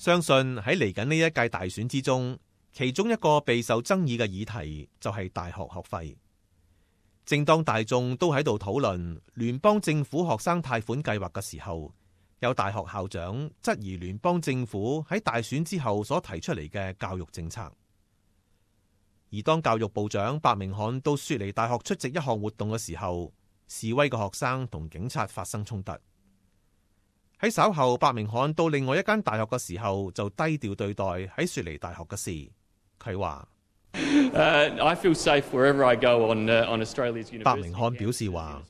相信喺嚟緊呢一屆大選之中，其中一個備受爭議嘅議題就係大學學費。正當大眾都喺度討論聯邦政府學生貸款計劃嘅時候，有大學校長質疑聯邦政府喺大選之後所提出嚟嘅教育政策。而當教育部長伯明翰到雪梨大學出席一項活動嘅時候，示威嘅學生同警察發生衝突。喺稍後伯明翰到另外一間大學嘅時候，就低調對待喺雪梨大學嘅事。佢話伯明翰表示話，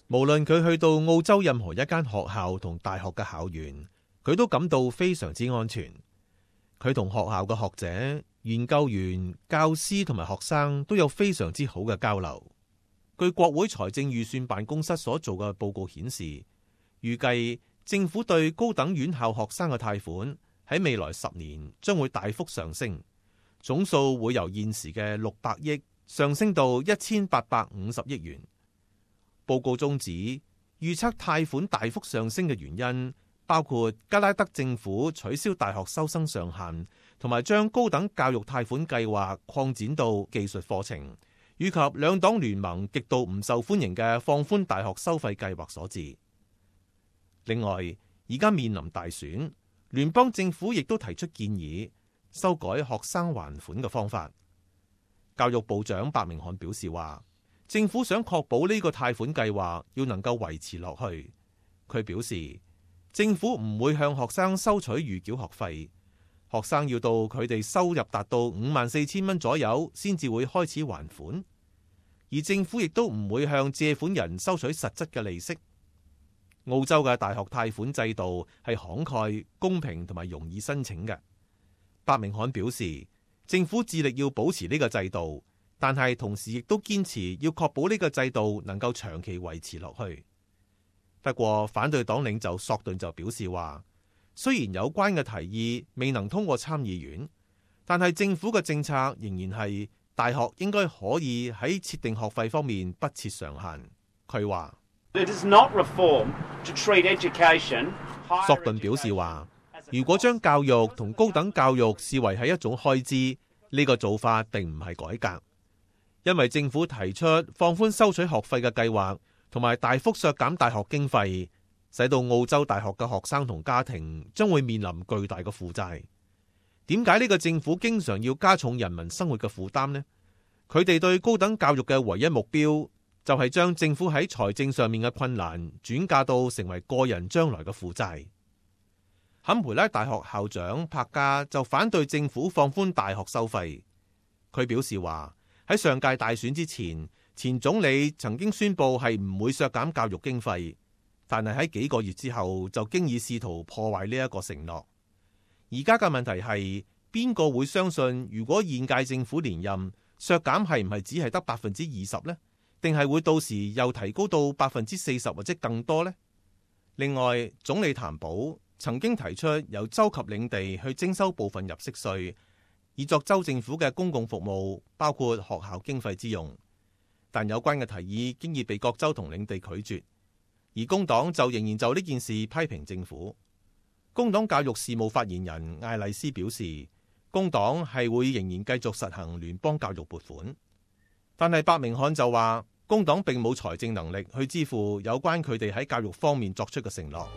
無論佢去到澳洲任何一間學校同大學嘅校園，佢都感到非常之安全。佢同學校嘅學者、研究員、教師同埋學生都有非常之好嘅交流。據國會財政預算辦公室所做嘅報告顯示，預計政府對高等院校學生嘅貸款喺未來10年將會大幅上升，總數會由現時嘅600億上升到1850億元。報告中指，預測貸款大幅上升嘅原因包括加拉德政府取消大學收生上限，同埋將高等教育貸款計劃擴展到技術課程，以及兩黨聯盟極度唔受歡迎嘅放寬大學收費計劃所致。另外，而家面臨大選，聯邦政府亦都提出建議，修改學生還款嘅方法。教育部長伯明翰表示話，政府想確保呢個貸款計劃要能夠維持落去。佢表示，政府唔會向學生收取預繳學費，學生要到佢哋收入達到54,000蚊左右先至會開始還款，而政府亦都唔會向借款人收取實質嘅利息。澳洲嘅大學貸款制度係慷慨、公平同埋容易申請嘅。伯明翰表示，政府致力要保持呢個制度，但係同時亦都堅持要確保呢個制度能夠長期維持落去。不過，反對黨領袖索頓就表示話，雖然有關嘅提議未能通過參議院，但係政府嘅政策仍然係大學應該可以喺設定學費方面不設上限。佢話，索頓表示話，如果將教育同高等教育視為係一種開支，呢個做法並唔係改革，因為政府提出放寬收取學費嘅計劃，同埋大幅削減大學經費，使到澳洲大學嘅學生同家庭將會面臨巨大嘅負債。點解呢個政府經常要加重人民生活嘅負擔呢？佢哋對高等教育嘅唯一目標就係將政府喺財政上面嘅困難轉嫁到成為個人將來嘅負債。坎培拉大學校長柏加就反對政府放寬大學收費。佢表示話，喺上屆大選之前，前總理曾經宣布係唔會削減教育經費，但係喺幾個月之後就經已試圖破壞呢一個承諾。而家嘅問題係，邊個會相信如果現屆政府連任，削減係唔係只係得20%呢？定係會到時又提高到40%或者更多呢？另外，總理譚寶曾經提出由州及領地去徵收部分入息稅，以作州政府嘅公共服務，包括學校經費之用。但有關嘅提議經已被各州同領地拒絕，而工黨就仍然就呢件事批評政府。工黨教育事務發言人艾麗斯表示，工黨係會仍然繼續實行聯邦教育撥款。但係伯明翰就話，工黨並冇財政能力去支付有關佢哋喺教育方面作出嘅承諾。